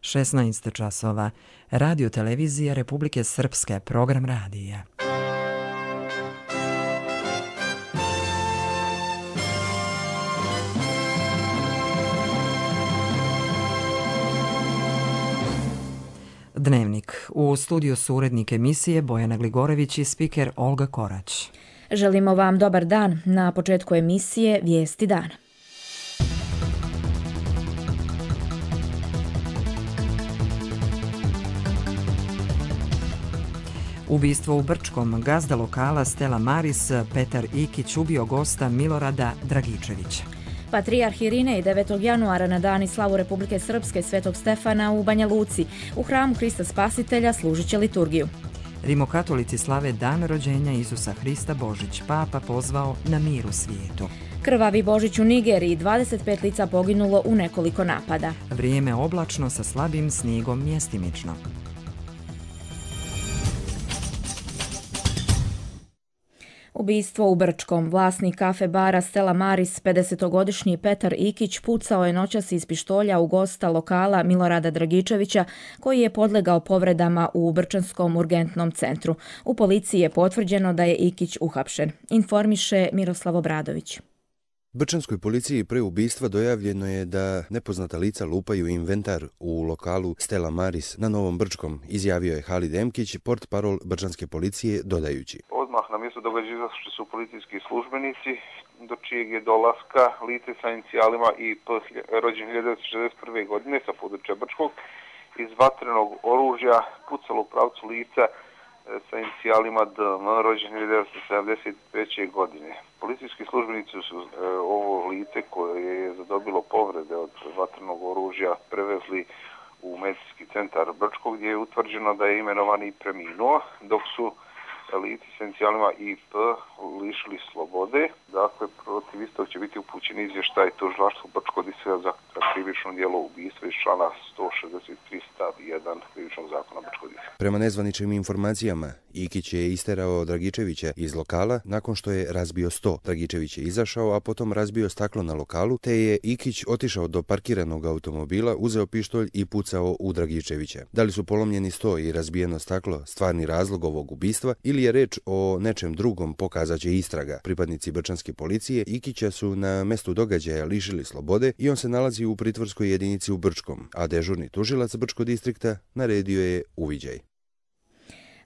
16 časova. Radio televizija Republike Srpske, program radija. Dnevnik. U studiju su urednik emisije Bojana Gligorević i spiker Olga Korać. Želimo vam dobar dan. Na početku emisije Vijesti dana. Ubistvo u Brčkom. Gazda lokala Stella Maris Petar Ikić ubio gosta Milorada Dragičevića. Patrijarh Irinej 9. januara na dan i slavu Republike Srpske Svetog Stefana u Banja Luci. U hramu Hrista Spasitelja služit će liturgiju. Rimokatolici slave dan rođenja Isusa Hrista Božić. Papa pozvao na mir u svijetu. Krvavi Božić u Nigeriji. 25 lica poginulo u nekoliko napada. Vrijeme oblačno sa slabim snijegom mjestimično. Ubistvo u Brčkom. Vlasnik kafe bara Stella Maris, 50-godišnji Petar Ikić, pucao je noćas iz pištolja u gosta lokala Milorada Dragičevića, koji je podlegao povredama u Brčanskom urgentnom centru. U policiji je potvrđeno da je Ikić uhapšen. Informiše Miroslav Obradović. Brčanskoj policiji pre ubistva dojavljeno je da nepoznata lica lupaju inventar u lokalu Stella Maris na Novom Brčkom, izjavio je Halid Emkić, portparol brčanske policije, dodajući. Odmah na mjesto događaja izašli su policijski službenici, do čijeg je dolaska lice sa inicijalima IP rođen 1961. godine sa područja Brčkog iz vatrenog oružja pucalo u pravcu lica sa inicijalima DM rođen 1973. godine. Policijski službenici su ovo lice koje je zadobilo povrede od vatrenog oružja prevezli u medicinski centar Brčkog, gdje je utvrđeno da je imenovani preminuo, dok su lici s inicijalima IP lišili slobode. Dakle, protiv istog će biti upućen izvještaj tužilaštvu Brčkog distrikta za krivično djelo ubistva iz člana 163 stav 1 krivičnog zakona Brčkog distrikta. Prema nezvaničnim informacijama, Ikić je isterao Dragičevića iz lokala nakon što je razbio sto. Dragičević je izašao, a potom razbio staklo na lokalu, te je Ikić otišao do parkiranog automobila, uzeo pištolj i pucao u Dragičevića. Da li su polomljeni sto i razbijeno staklo stvarni razlog ovog ubistva ili je reč o nečem drugom, pokazaće istraga. Pripadnici brčanske policije Ikića su na mestu događaja lišili slobode i on se nalazi u pritvorskoj jedinici u Brčkom, a dežurni tužilac Brčkog distrikta naredio je uviđaj.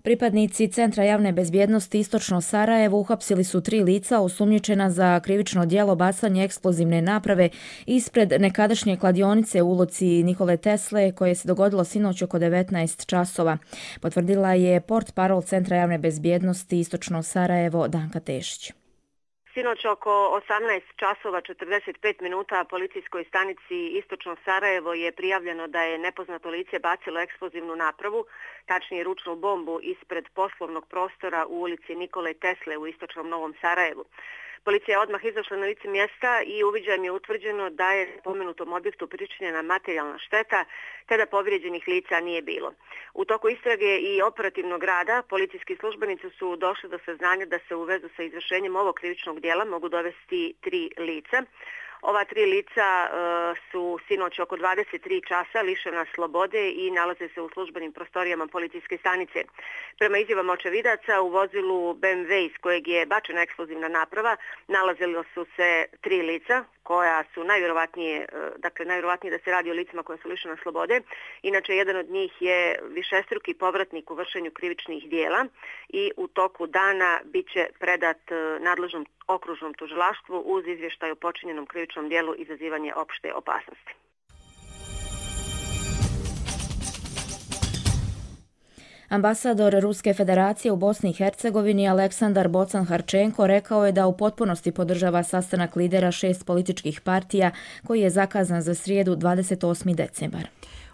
Pripadnici Centra javne bezbjednosti Istočno Sarajevo uhapsili su 3 lica osumnjičena za krivično djelo bacanje eksplozivne naprave ispred nekadašnje kladionice u ulici Nikole Tesle koje se dogodilo sinoć oko 19 časova. Potvrdila je portparol Centra javne bezbjednosti Istočno Sarajevo Danka Tešić. Sinoć oko 18 časova 45 minuta policijskoj stanici Istočno Sarajevo je prijavljeno da je nepoznato lice bacilo eksplozivnu napravu, tačnije ručnu bombu, ispred poslovnog prostora u ulici Nikole Tesle u Istočnom Novom Sarajevu. Policija je odmah izašla na lice mjesta i uviđajem je utvrđeno da je spomenutom objektu pričinjena materijalna šteta, te da povrijeđenih lica nije bilo. U toku istrage i operativnog rada policijski službenici su došli do saznanja da se u vezu sa izvršenjem ovog krivičnog djela mogu dovesti 3 lica. Ova 3 lica su sinoć oko 23 časa lišena slobode i nalaze se u službenim prostorijama policijske stanice. Prema izjavama očevidaca, u vozilu BMW iz kojeg je bačena eksplozivna naprava nalazilo su se 3 lica koja su najvjerovatnije da se radi o licima koja su lišena slobode. Inače, jedan od njih je višestruki povratnik u vršenju krivičnih dijela i u toku dana bit će predat nadležnom okružnom tužilaštvu uz izvještaj o počinjenom krivičnom dijelu izazivanje opšte opasnosti. Ambasador Ruske federacije u Bosni i Hercegovini Aleksandar Bocan-Harčenko rekao je da u potpunosti podržava sastanak lidera 6 političkih partija koji je zakazan za srijedu 28. decembar.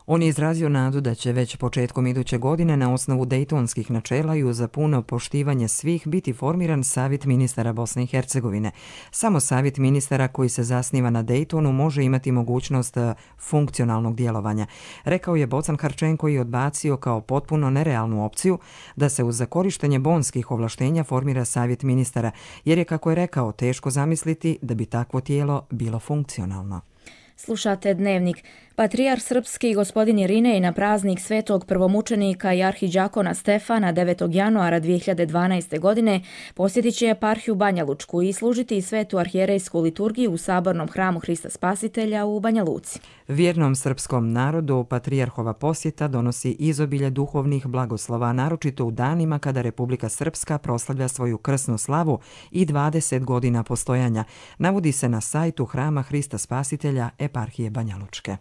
On je izrazio nadu da će već početkom iduće godine na osnovu dejtonskih načela i uz puno poštivanje svih biti formiran Savjet ministara Bosne i Hercegovine. Samo Savjet ministara koji se zasniva na Dejtonu može imati mogućnost funkcionalnog djelovanja. Rekao je Bocan-Harčenko i odbacio kao potpuno nerealnu opciju da se uz korištenje bonskih ovlaštenja formira Savjet ministara, jer je, kako je rekao, teško zamisliti da bi takvo tijelo bilo funkcionalno. Slušate Dnevnik. Patrijarh srpski gospodin Irinej na praznik svetog prvomučenika i arhidžakona Stefana 9. januara 2012. godine posjetit će eparhiju Banja Lučku i služiti svetu arhijerejsku liturgiju u sabornom hramu Hrista Spasitelja u Banja Luci. Vjernom srpskom narodu patrijarhova posjeta donosi izobilje duhovnih blagoslova, naročito u danima kada Republika Srpska proslavlja svoju krsnu slavu i 20 godina postojanja, navodi se na sajtu hrama Hrista Spasitelja eparhije Banja Lučke.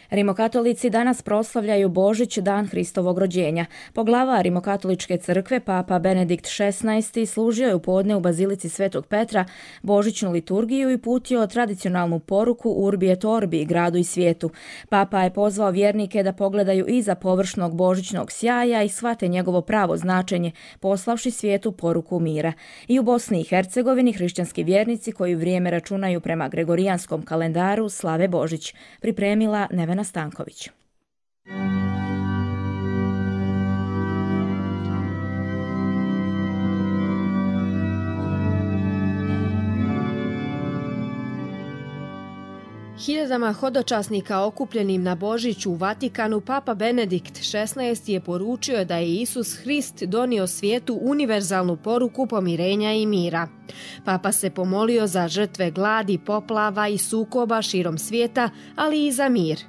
Rimokatolici danas proslavljaju Božić, dan Hristovog rođenja. Poglava Rimokatoličke crkve, Papa Benedikt XVI služio je u podne u Bazilici Svetog Petra božićnu liturgiju i putio tradicionalnu poruku Urbi et Orbi, gradu i svijetu. Papa je pozvao vjernike da pogledaju iza površnog božićnog sjaja i shvate njegovo pravo značenje, poslavši svijetu poruku mira. I u Bosni i Hercegovini hrišćanski vjernici koji vrijeme računaju prema gregorijanskom kalendaru slave Božić. Pripremila Nevena Stanković. Hiljadama hodočasnika okupljenim na Božić u Vatikanu Papa Benedikt XVI je poručio da je Isus Hrist donio svijetu univerzalnu poruku pomirenja i mira. Papa se pomolio za žrtve gladi, poplava i sukoba širom svijeta, ali i za mir.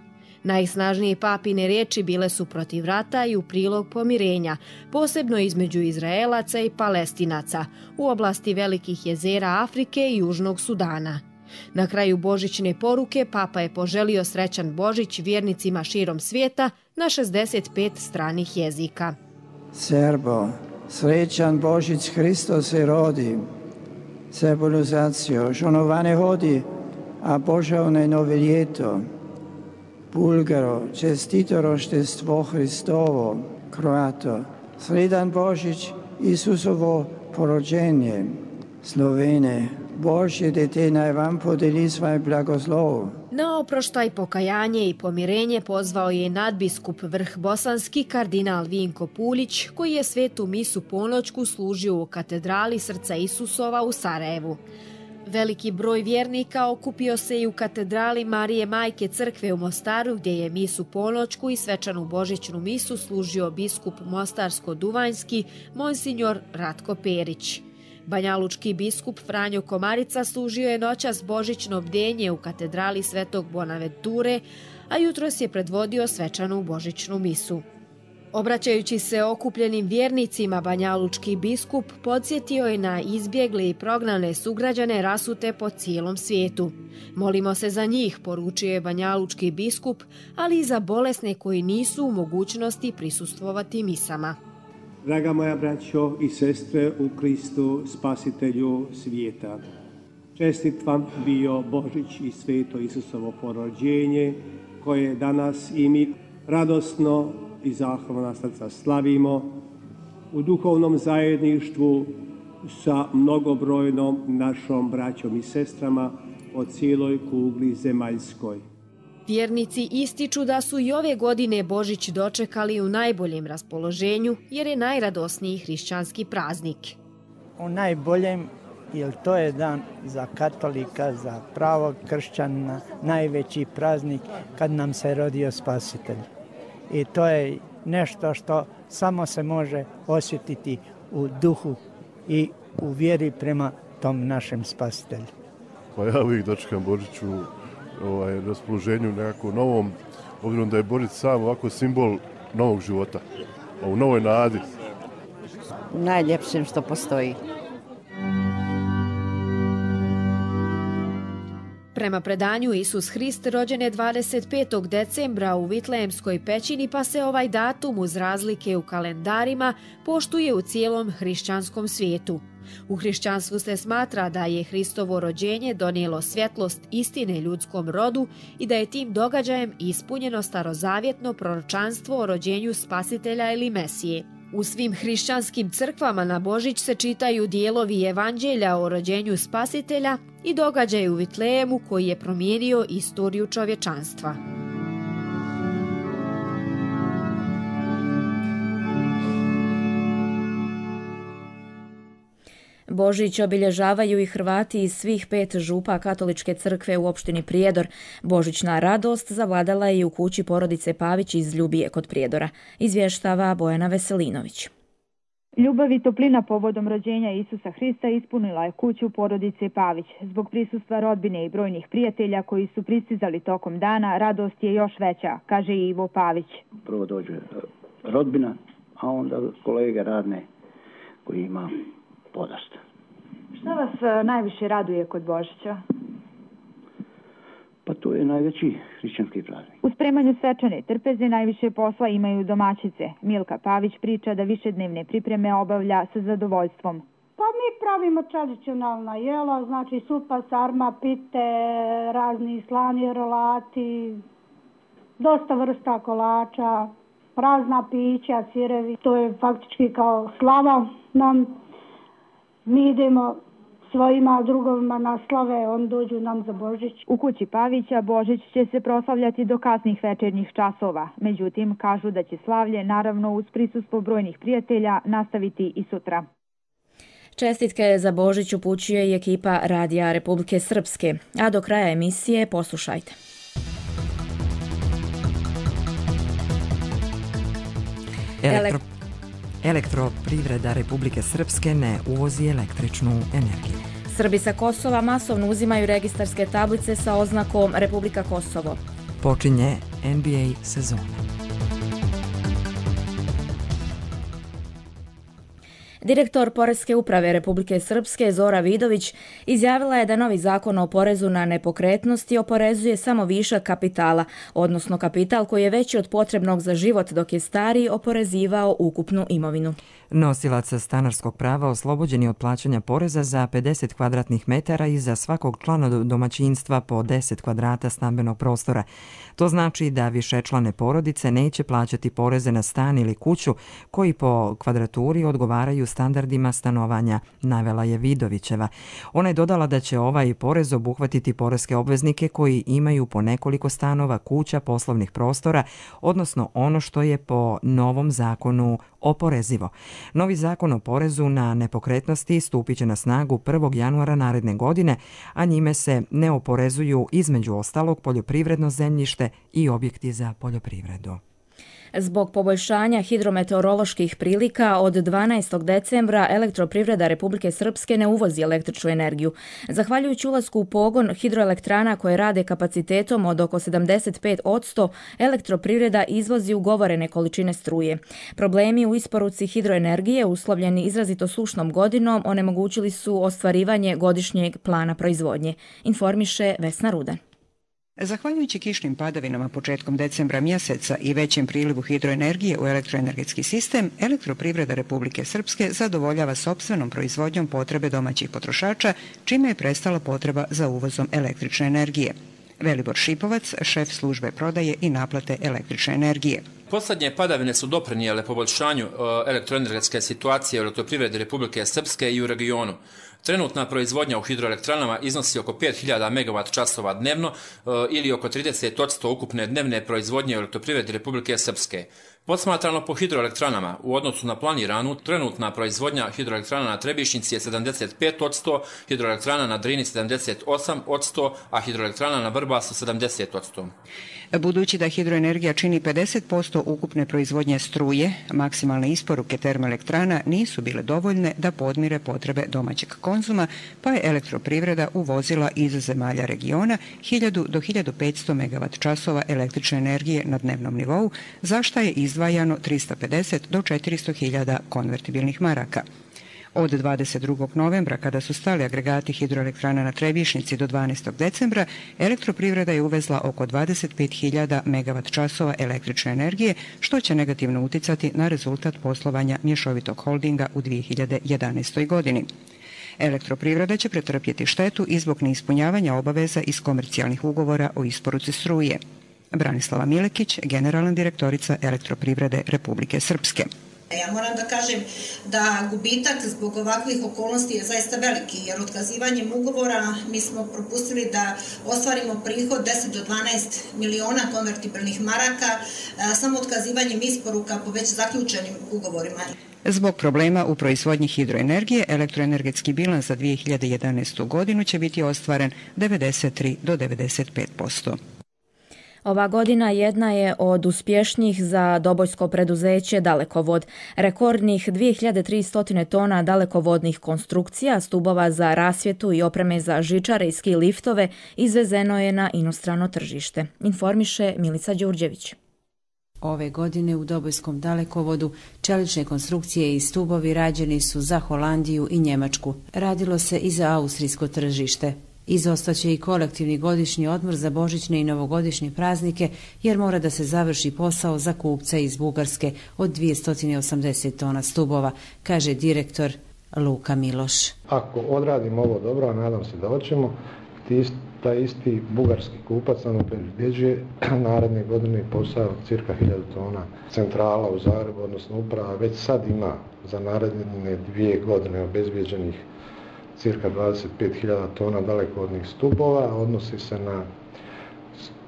Najsnažnije papine riječi bile su protiv rata i u prilog pomirenja, posebno između Izraelaca i Palestinaca, u oblasti velikih jezera Afrike i Južnog Sudana. Na kraju božićne poruke Papa je poželio srećan Božić vjernicima širom svijeta na 65 stranih jezika. Serbo, srećan Božić Hristo se rodi, civilizacijo, žonovane hodi, a Božavne nove ljeto. Bulgaro, čestito roštestvo Hristovo, Kroato, sredan Božić, Isusovo porođenje. Slovene, Božje dete naj vam podeli svoj blagoslov. Na oproštaj, pokajanje i pomirenje pozvao je nadbiskup Vrh Bosanski kardinal Vinko Pulić, koji je svetu misu ponoćku služio u katedrali Srca Isusova u Sarajevu. Veliki broj vjernika okupio se i u katedrali Marije Majke crkve u Mostaru, gdje je misu ponoćku i svečanu božićnu misu služio biskup Mostarsko-Duvanjski, monsinjor Ratko Perić. Banjalučki biskup Franjo Komarica služio je noćas božićno bdenje u katedrali Svetog Bonaventure, a jutros je predvodio svečanu božićnu misu. Obraćajući se okupljenim vjernicima, banjalučki biskup podsjetio je na izbjegle i prognane sugrađane rasute po cijelom svijetu. Molimo se za njih, poručio je banjalučki biskup, ali i za bolesne koji nisu u mogućnosti prisustvovati misama. Draga moja braćo i sestre u Kristu, spasitelju svijeta, čestit vam bio Božić i sveto Isusovo porođenje, koje danas i mi radosno i zahvalna srca slavimo u duhovnom zajedništvu sa mnogobrojnom našom braćom i sestrama po cijeloj kugli zemaljskoj. Vjernici ističu da su i ove godine Božić dočekali u najboljem raspoloženju, jer je najradosniji hrišćanski praznik. U najboljem, jer to je dan za katolika, za pravog kršćanina, najveći praznik kad nam se rodio Spasitelj. I to je nešto što samo se može osjetiti u duhu i u vjeri prema tom našem Spasitelju. Pa ja uvijek dočekam Božić u raspoloženju nekako novom, obzirom da je Božić sam ovako simbol novog života, u novoj nadi. Najljepšim što postoji. Prema predanju, Isus Hrist rođen je 25. decembra u Vitlejemskoj pećini, pa se ovaj datum uz razlike u kalendarima poštuje u cijelom hrišćanskom svijetu. U hrišćanstvu se smatra da je Hristovo rođenje donijelo svjetlost istine ljudskom rodu i da je tim događajem ispunjeno starozavjetno proročanstvo o rođenju Spasitelja ili Mesije. U svim hrišćanskim crkvama na Božić se čitaju dijelovi evanđelja o rođenju Spasitelja i događaj u Vitlejemu koji je promijenio istoriju čovječanstva. Božić obilježavaju i Hrvati iz svih 5 župa katoličke crkve u opštini Prijedor. Božićna radost zavladala je i u kući porodice Pavić iz Ljubije kod Prijedora. Izvještava Bojana Veselinović. Ljubav i toplina povodom rođenja Isusa Hrista ispunila je kuću porodice Pavić. Zbog prisustva rodbine i brojnih prijatelja koji su pristizali tokom dana, radost je još veća, kaže i Ivo Pavić. Prvo dođe rodbina, a onda kolege radne koji ima podosta. Šta vas najviše raduje kod Božića? Pa to je najveći hrišćanski praznik. U spremanju svečane trpeze najviše posla imaju domaćice. Milka Pavić priča da višednevne pripreme obavlja sa zadovoljstvom. Pa mi pravimo tradicionalna jela, znači supa, sarma, pite, razni slani rolati, dosta vrsta kolača, razna pića, sirevi. To je faktički kao slava nam. Mi idemo svojima drugovima na slave, on dođu nam za Božić. U kući Pavića Božić će se proslavljati do kasnih večernjih časova. Međutim, kažu da će slavlje, naravno uz prisustvo brojnih prijatelja, nastaviti i sutra. Čestitke za Božić upućuje i ekipa Radija Republike Srpske. A do kraja emisije poslušajte. Elektroprivreda Republike Srpske ne uvozi električnu energiju. Srbi sa Kosova masovno uzimaju registarske tablice sa oznakom Republika Kosovo. Počinje NBA sezona. Direktor Poreske uprave Republike Srpske Zora Vidović izjavila je da novi zakon o porezu na nepokretnosti oporezuje samo višak kapitala, odnosno kapital koji je veći od potrebnog za život dok je stariji oporezivao ukupnu imovinu. Nosilac stanarskog prava oslobođen je od plaćanja poreza za 50 kvadratnih metara i za svakog člana domaćinstva po 10 kvadrata stambenog prostora. To znači da višečlane porodice neće plaćati poreze na stan ili kuću koji po kvadraturi odgovaraju standardima stanovanja, navela je Vidovićeva. Ona je dodala da će ovaj porez obuhvatiti poreske obveznike koji imaju po nekoliko stanova, kuća, poslovnih prostora, odnosno ono što je po novom zakonu oporezivo. Novi zakon o porezu na nepokretnosti stupit će na snagu 1. januara naredne godine, a njime se ne oporezuju između ostalog poljoprivredno zemljište i objekti za poljoprivredu. Zbog poboljšanja hidrometeoroloških prilika od 12. decembra Elektroprivreda Republike Srpske ne uvozi električnu energiju. Zahvaljujući ulasku u pogon hidroelektrana koje rade kapacitetom od oko 75%, Elektroprivreda izvozi ugovorene količine struje. Problemi u isporuci hidroenergije uslovljeni izrazito sušnom godinom onemogućili su ostvarivanje godišnjeg plana proizvodnje, informiše Vesna Rudan. Zahvaljujući kišnim padavinama početkom decembra mjeseca i većem prilivu hidroenergije u elektroenergetski sistem, Elektroprivreda Republike Srpske zadovoljava sopstvenom proizvodnjom potrebe domaćih potrošača, čime je prestala potreba za uvozom električne energije. Velibor Šipovac, šef službe prodaje i naplate električne energije. Poslednje padavine su doprinijele poboljšanju elektroenergetske situacije u Elektroprivredi Republike Srpske i u regionu. Trenutna proizvodnja u hidroelektranama iznosi oko 5000 MWh dnevno ili oko 30% ukupne dnevne proizvodnje u Elektroprivredi Republike Srpske. Posmatrano po hidroelektranama, u odnosu na planiranu, trenutna proizvodnja hidroelektrana na Trebišnjici je 75%, hidroelektrana na Drini 78%, a hidroelektrana na Vrbasu 70%. Budući da hidroenergija čini 50% ukupne proizvodnje struje, maksimalne isporuke termoelektrana nisu bile dovoljne da podmire potrebe domaćeg konzuma, pa je Elektroprivreda uvozila iz zemalja regiona 1000 do 1500 MWh električne energije na dnevnom nivou, za šta je izdvajano 350 do 400.000 konvertibilnih maraka. Od 22. novembra, kada su stali agregati hidroelektrana na Trebišnjici do 12. decembra, Elektroprivreda je uvezla oko 25.000 MWh električne energije, što će negativno uticati na rezultat poslovanja mješovitog holdinga u 2011. godini. Elektroprivreda će pretrpjeti štetu i zbog neispunjavanja obaveza iz komercijalnih ugovora o isporuci struje. Branislava Milekić, generalna direktorica Elektroprivrede Republike Srpske. Ja moram da kažem da gubitak zbog ovakvih okolnosti je zaista veliki, jer otkazivanjem ugovora mi smo propustili da ostvarimo prihod 10 do 12 miliona konvertibilnih maraka samo otkazivanjem isporuka po već zaključenim ugovorima. Zbog problema u proizvodnji hidroenergije, elektroenergetski bilans za 2011. godinu će biti ostvaren 93 do 95%. Ova godina jedna je od uspješnijih za dobojsko preduzeće Dalekovod. Rekordnih 2300 tona dalekovodnih konstrukcija, stubova za rasvjetu i opreme za žičare i ski liftove izvezeno je na inostrano tržište. Informiše Milica Đurđević. Ove godine u Dobojskom dalekovodu čelične konstrukcije i stubovi rađeni su za Holandiju i Njemačku. Radilo se i za austrijsko tržište. Izostaće i kolektivni godišnji odmor za božićne i novogodišnje praznike jer mora da se završi posao za kupca iz Bugarske od 280 tona stubova, kaže direktor Luka Miloš. Ako odradimo ovo dobro, a nadam se da hoćemo, taj isti bugarski kupac nam obezbjeđuje naredne godine posao cirka 1000 tona centrala u Zagrebu, odnosno uprava već sad ima za naredne 2 godine obezbjeđenih cirka 25.000 tona dalekovodnih stubova, odnosi se na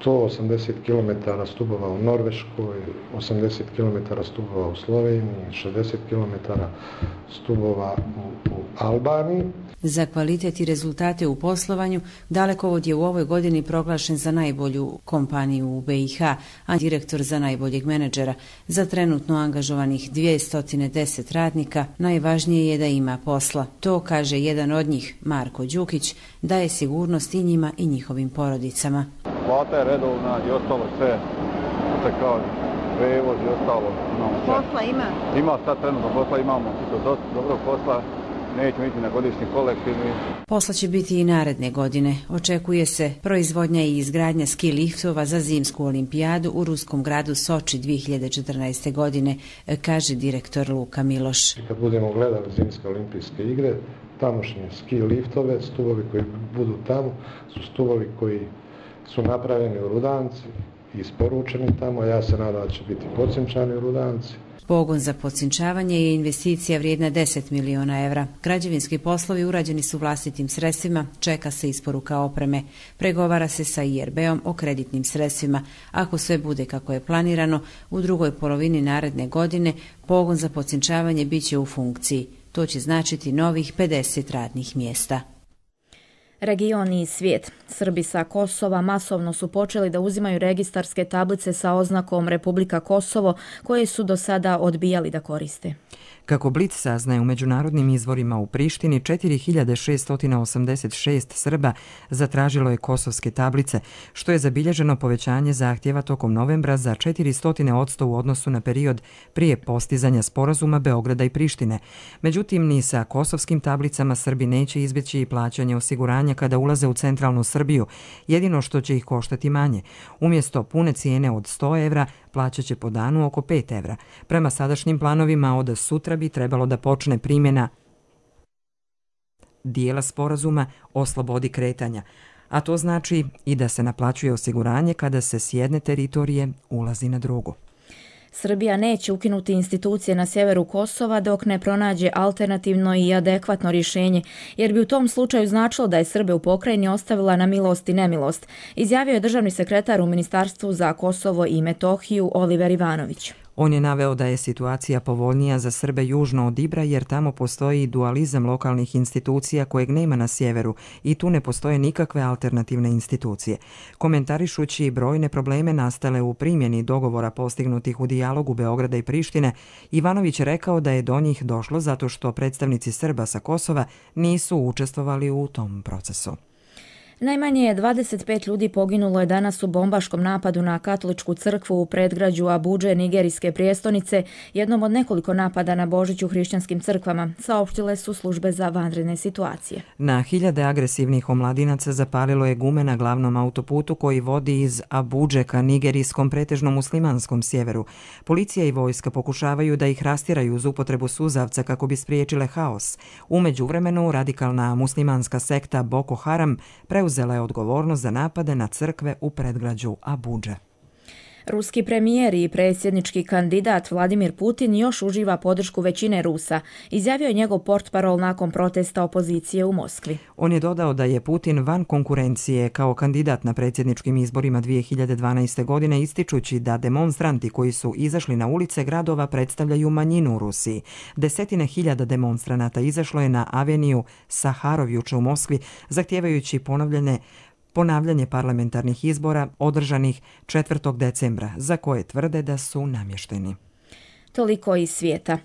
180 km stubova u Norveškoj, 80 km stubova u Sloveniji, 60 km stubova u Albaniji. Za kvalitet i rezultate u poslovanju, Dalekovod je u ovoj godini proglašen za najbolju kompaniju u BiH, a direktor za najboljeg menadžera. Za trenutno angažovanih 210 radnika najvažnije je da ima posla. To, kaže jedan od njih, Marko Đukić, daje sigurnost i njima i njihovim porodicama. Plata je redovna i ostalo sve, kao prevoz i ostalo. Posla ima? Ima, sad trenutno posla imamo, dosta dobrog posla. Nećemo ići na godišnji kolektivni. Posla će biti i naredne godine. Očekuje se proizvodnja i izgradnja ski liftova za zimsku olimpijadu u ruskom gradu Soči 2014. godine, kaže direktor Luka Miloš. Kad budemo gledali zimske olimpijske igre, tamošnje ski liftove, stubovi koji budu tamo, su stubovi koji su napravljeni u Rudanci i isporučeni tamo. Ja se nadam da će biti pocinčani u Rudanci. Pogon za pocinčavanje je investicija vrijedna 10 miliona evra. Građevinski poslovi urađeni su vlastitim sredstvima, čeka se isporuka opreme. Pregovara se sa IRB-om o kreditnim sredstvima. Ako sve bude kako je planirano, u drugoj polovini naredne godine pogon za pocinčavanje bit će u funkciji. To će značiti novih 50 radnih mjesta. Region i svijet. Srbi sa Kosova masovno su počeli da uzimaju registarske tablice sa oznakom Republika Kosovo, koje su do sada odbijali da koriste. Kako Blic saznaje, u međunarodnim izvorima u Prištini 4686 Srba zatražilo je kosovske tablice, što je zabilježeno povećanje zahtjeva tokom novembra za 400% u odnosu na period prije postizanja sporazuma Beograda i Prištine. Međutim, ni sa kosovskim tablicama Srbi neće izbjeći i plaćanje osiguranja kada ulaze u centralnu Srbiju, jedino što će ih koštati manje. Umjesto pune cijene od 100 evra, plaćat će po danu oko 5 evra. Prema sadašnjim planovima od sutra bi trebalo da počne primjena dijela sporazuma o slobodi kretanja, a to znači i da se naplaćuje osiguranje kada se s jedne teritorije ulazi na drugu. Srbija neće ukinuti institucije na sjeveru Kosova dok ne pronađe alternativno i adekvatno rješenje, jer bi u tom slučaju značilo da je Srbe u pokrajini ostavila na milost i nemilost, izjavio je državni sekretar u Ministarstvu za Kosovo i Metohiju Oliver Ivanović. On je naveo da je situacija povoljnija za Srbe južno od Ibra jer tamo postoji dualizam lokalnih institucija kojeg nema na sjeveru i tu ne postoje nikakve alternativne institucije. Komentarišući brojne probleme nastale u primjeni dogovora postignutih u dijalogu Beograda i Prištine, Ivanović je rekao da je do njih došlo zato što predstavnici Srba sa Kosova nisu učestvovali u tom procesu. Najmanje je 25 ljudi poginulo je danas u bombaškom napadu na katoličku crkvu u predgrađu Abudže, nigerijske prijestolnice, jednom od nekoliko napada na Božić u hrišćanskim crkvama, saopštile su službe za vanredne situacije. Na hiljade agresivnih omladinaca zapalilo je gume na glavnom autoputu koji vodi iz Abudže ka nigerijskom pretežno muslimanskom sjeveru. Policija i vojska pokušavaju da ih rastjeraju uz upotrebu suzavca kako bi spriječile haos. U međuvremenu radikalna muslimanska sekta Boko Haram preuzela je odgovornost za napade na crkve u predgrađu Abudže. Ruski premijer i predsjednički kandidat Vladimir Putin još uživa podršku većine Rusa, izjavio je njegov portparol nakon protesta opozicije u Moskvi. On je dodao da je Putin van konkurencije kao kandidat na predsjedničkim izborima 2012. godine, ističući da demonstranti koji su izašli na ulice gradova predstavljaju manjinu u Rusiji. Desetine hiljada demonstranata izašlo je na aveniju Saharov juče u Moskvi, zahtijevajući ponavljanje parlamentarnih izbora održanih 4. decembra, za koje tvrde da su namješteni. Toliko iz svijeta.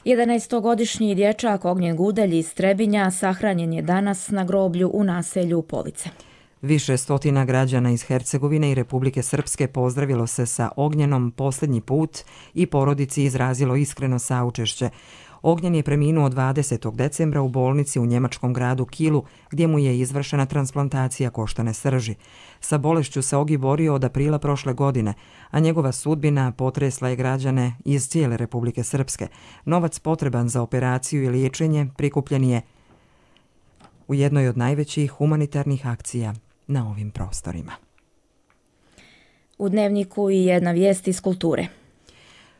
11-godišnji dječak Ognjen Gudelj iz Trebinja sahranjen je danas na groblju u naselju Police. Više stotina građana iz Hercegovine i Republike Srpske pozdravilo se sa Ognjenom posljednji put i porodici izrazilo iskreno saučešće. Ognjen je preminuo 20. decembra u bolnici u njemačkom gradu Kielu, gdje mu je izvršena transplantacija koštane srži. Sa bolešću se Ogi borio od aprila prošle godine, a njegova sudbina potresla je građane iz cijele Republike Srpske. Novac potreban za operaciju i liječenje prikupljen je u jednoj od najvećih humanitarnih akcija na ovim prostorima. U Dnevniku i jedna vijest iz kulture.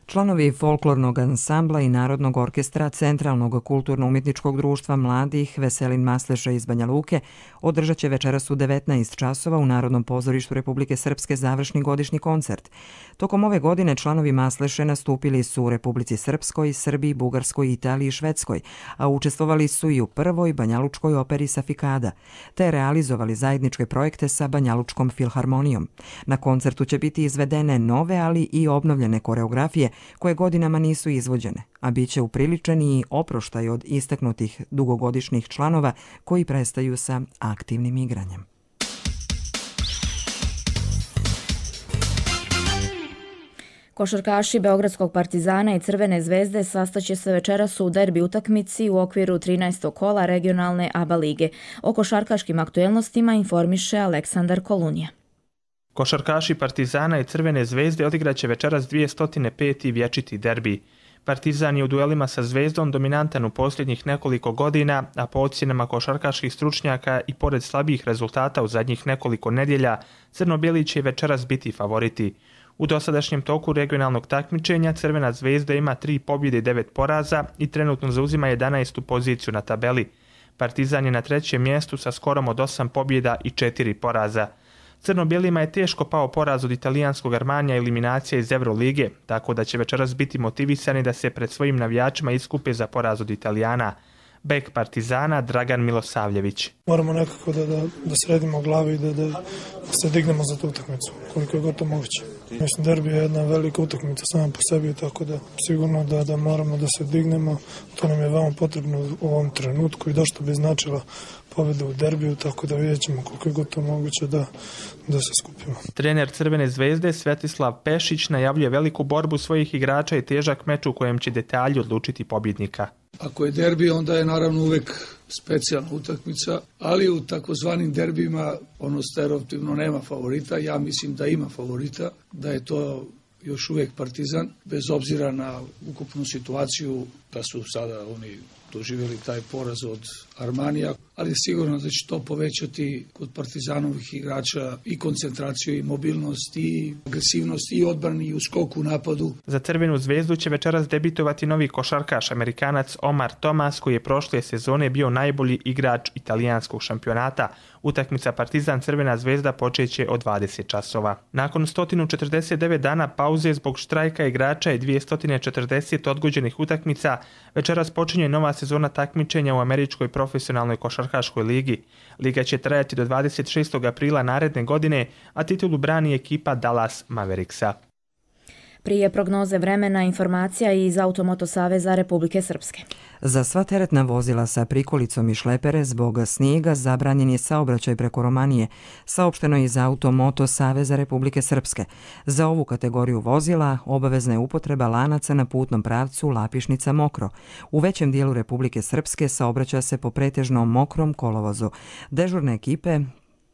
Članovi folklornog ansambla i Narodnog orkestra Centralnog kulturno-umjetničkog društva mladih Veselin Masleša iz Banja Luke održat će večeras u 19 časova u Narodnom pozorištu Republike Srpske završni godišnji koncert. Tokom ove godine članovi Masleše nastupili su u Republici Srpskoj, Srbiji, Bugarskoj, Italiji i Švedskoj, a učestvovali su i u prvoj banjalučkoj operi Safikada, te realizovali zajedničke projekte sa Banjalučkom filharmonijom. Na koncertu će biti izvedene nove, ali i obnovljene koreografije koje godinama nisu izvođene, a bit će upriličen i oproštaj od istaknutih dugogodišnjih članova koji prestaju sa aktivnim igranjem. Košarkaši Beogradskog Partizana i Crvene zvezde sastaće se večeras u derbi utakmici u okviru 13. kola regionalne ABA lige. O košarkaškim aktuelnostima informiše Aleksandar Kolunija. Košarkaši Partizana i Crvene zvezde odigraće večeras 205. vječiti derbi. Partizan je u duelima sa Zvezdom dominantan u posljednjih nekoliko godina, a po ocjenama košarkaških stručnjaka i pored slabijih rezultata u zadnjih nekoliko nedjelja, crno-bijeli će večeras biti favoriti. U dosadašnjem toku regionalnog takmičenja Crvena zvezda ima 3 pobjede i 9 poraza i trenutno zauzima 11. poziciju na tabeli. Partizan je na 3. mjestu sa skorom od 8 pobjeda i 4 poraza. Crno-bijelima je teško pao poraz od italijanskog Armanija i eliminacija iz Eurolige, tako da će večeras biti motivisani da se pred svojim navijačima iskupe za poraz od Italijana. Bek Partizana Dragan Milosavljević. Moramo nekako da sredimo glavi i da se dignemo za tu utakmicu, koliko je gotovo moguće. Mislim, derbi je jedna velika utakmica sama po sebi, tako da sigurno da moramo da se dignemo. To nam je veoma potrebno u ovom trenutku i došto bi značila pobjeda u derbiju, tako da vidjet ćemo koliko je gotovo moguće da se skupimo. Trener Crvene zvezde Svetislav Pešić najavljuje veliku borbu svojih igrača i težak meč u kojem će detalji odlučiti pobjednika. Ako je derbi, onda je naravno uvek specijalna utakmica, ali u takozvanim derbima ono stereotipno nema favorita. Ja mislim da ima favorita, da je to još uvijek Partizan, bez obzira na ukupnu situaciju da su sada oni doživjeli taj poraz od Armanija, ali sigurno da će to povećati kod Partizanovih igrača i koncentraciju i mobilnost i agresivnost i odbrani i u skoku u napadu. Za Crvenu zvezdu će večeras debitovati novi košarkaš Amerikanac Omar Thomas, koji je prošle sezone bio najbolji igrač italijanskog šampionata. Utakmica Partizan Crvena zvezda počeće od 20 časova. Nakon 149 dana pauze zbog štrajka igrača i 240 odgođenih utakmica, večeras počinje nova sezona takmičenja u američkoj profesionalnoj košarkaškoj ligi. Liga će trajati do 26. aprila naredne godine, a titulu brani ekipa Dallas Mavericksa. Prije prognoze vremena informacija iz Automoto Saveza Republike Srpske. Za sva teretna vozila sa prikolicom i šlepere zbog snijega zabranjen je saobraćaj preko Romanije, saopšteno je iz Automoto Saveza Republike Srpske. Za ovu kategoriju vozila obavezna je upotreba lanaca na putnom pravcu Lapišnica-Mokro. U većem dijelu Republike Srpske saobraća se po pretežno mokrom kolovozu. Dežurne ekipe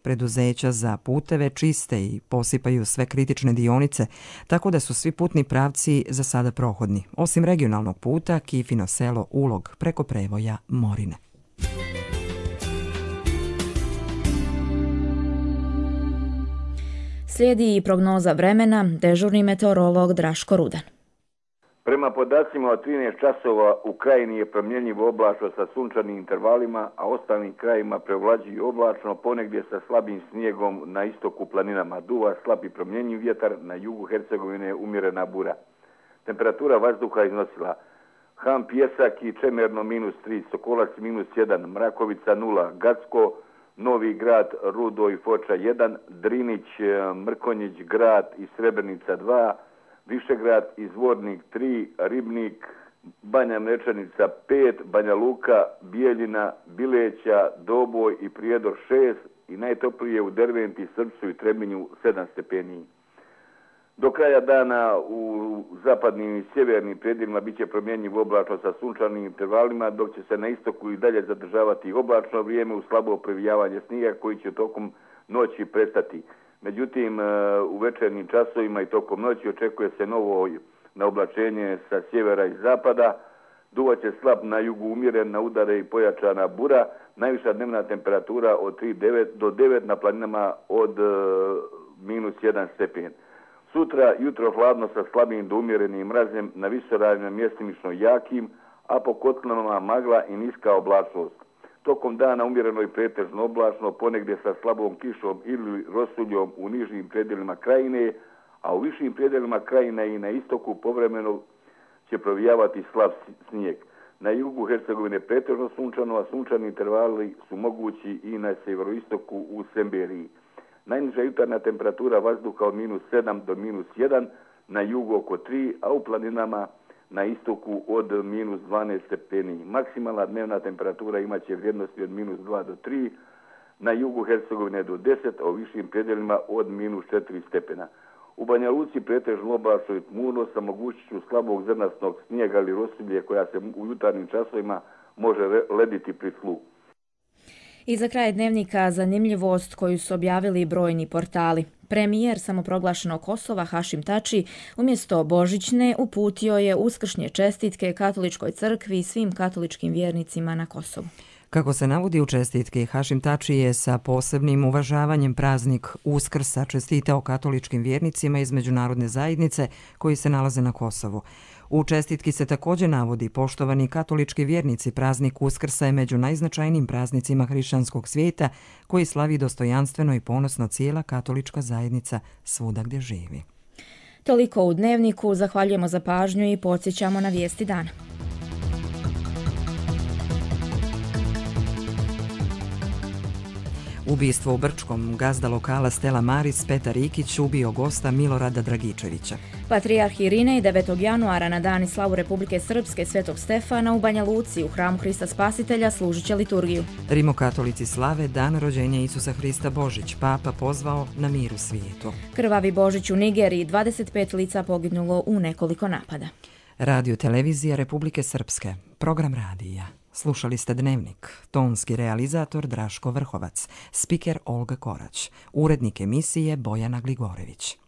preduzeća za puteve čiste i posipaju sve kritične dionice, tako da su svi putni pravci za sada prohodni, osim regionalnog puta Kifino selo Ulog preko prevoja Morine. Slijedi i prognoza vremena, dežurni meteorolog Draško Rudan. Prema podacima od 13 časova u krajini je promjenjivo oblačno sa sunčanim intervalima, a ostalim krajima prevlađuje oblačno, ponegdje sa slabim snijegom na istoku planinama. Duva slab i promjenjiv vjetar, na jugu Hercegovine umjerena bura. Temperatura vazduha iznosila Han Pjesak i Čemerno -3, Sokolac -1, Mrakovica 0, Gacko, Novi Grad, Rudo i Foča 1, Drinić, Mrkonjić, Grad i Srebrenica 2, Višegrad i Zvornik 3, Ribnik, Banja Mlečanica 5, Banja Luka, Bijeljina, Bileća, Doboj i Prijedor 6 i najtoplije u Derventi, Srpcu i Trebinju 7 stepeni. Do kraja dana u zapadnim i sjevernim predjelima bit će promjenjivo oblačno sa sunčanim intervalima, dok će se na istoku i dalje zadržavati oblačno vrijeme u slabo previjavanje snijega koji će tokom noći prestati. Međutim, u večernjim časovima i tokom noći očekuje se novo naoblačenje sa sjevera i zapada. Duvaće slab na jugu umjeren, na udare i pojačana bura. Najviša dnevna temperatura od 3 do 9 na planinama od -1 stepen. Sutra jutro hladno sa slabim do umjerenim mrazem, na visoravnima mjestimično jakim, a po kotlinama magla i niska oblačnost. Tokom dana umjereno i pretežno oblačno, ponegdje sa slabom kišom ili rosuljom u nižim predjelima krajine, a u višim predjelima krajine i na istoku povremeno će provijavati slab snijeg. Na jugu Hercegovine pretežno sunčano, a sunčani intervali su mogući i na sjeveroistoku u Semberiji. Najniža jutarnja temperatura vazduha od -7 do -1, na jugu oko 3, a u planinama na istoku od -12 stepeni. Maksimalna dnevna temperatura imaće vrijednosti od -2 do 3, na jugu Hercegovine do 10, a u višim predjelima od -4 stepena. U Banja Luci pretežno oblačno i tmurno sa mogućnošću slabog zrnastog snijega ili rosulje koja se u jutarnjim časovima može lediti pri tlu. I za kraj dnevnika zanimljivost koju su objavili brojni portali. Premijer samoproglašenog Kosova Hašim Tači umjesto božićne uputio je uskršnje čestitke Katoličkoj crkvi i svim katoličkim vjernicima na Kosovu. Kako se navodi u čestitki, Hašim Tači je sa posebnim uvažavanjem praznik Uskrsa čestitao katoličkim vjernicima iz međunarodne zajednice koji se nalaze na Kosovu. U čestitki se također navodi: poštovani katolički vjernici, praznik Uskrsa je među najznačajnijim praznicima hrišćanskog svijeta koji slavi dostojanstveno i ponosno cijela katolička zajednica svuda gdje živi. Toliko u dnevniku, zahvaljujemo za pažnju i podsjećamo na vijesti dana. Ubistvo u Brčkom, gazda lokala Stella Maris Petar Ikić ubio gosta Milorada Dragičevića. Patrijarh Irinej 9. januara na dan i slavu Republike Srpske Svetog Stefana u Banja Luci u hramu Hrista Spasitelja služit će liturgiju. Rimokatolici slave dan rođenja Isusa Hrista Božić, papa pozvao na mir u svijetu. Krvavi Božić u Nigeriji, 25 lica poginulo u nekoliko napada. Radio televizija Republike Srpske, program radija. Slušali ste Dnevnik, tonski realizator Draško Vrhovac, spiker Olga Korać, urednik emisije Bojana Gligorević.